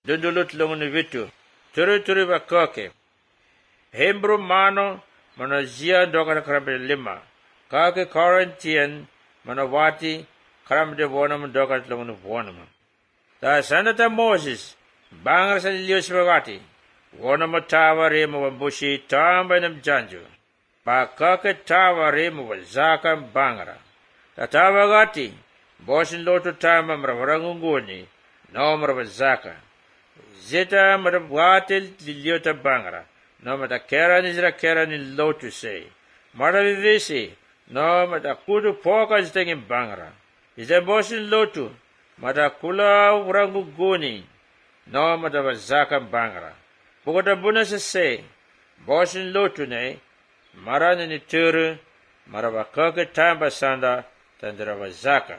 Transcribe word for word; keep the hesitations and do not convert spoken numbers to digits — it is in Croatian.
dundulut lungun vitu, turi-turi ba kake. Hebrew mano mana zia doka karabe lima, kake Corinthian mana wati karamde bonam doka lungun bonam. Ta sanata Moses, bangar sa lios bagati, bonam tawa remo wambushi tamba nam janju, ba kake tawa remo wazaka bangara. Ta tawa gati, bosin lotu tamba mravarangunguni, no mravazaka. Zeta mravwatil liliota bangara, no mata kera nizra kera ni lotu se. Maravivisi, no mata kudu poka zitengin bangara. Ize bosin lotu, mata kula uranguguni, no mata wazaka bangara. Pukota buna se se, bosin lotu ne, marani ni turu, maravakake tamba sanda, tandra wazaka.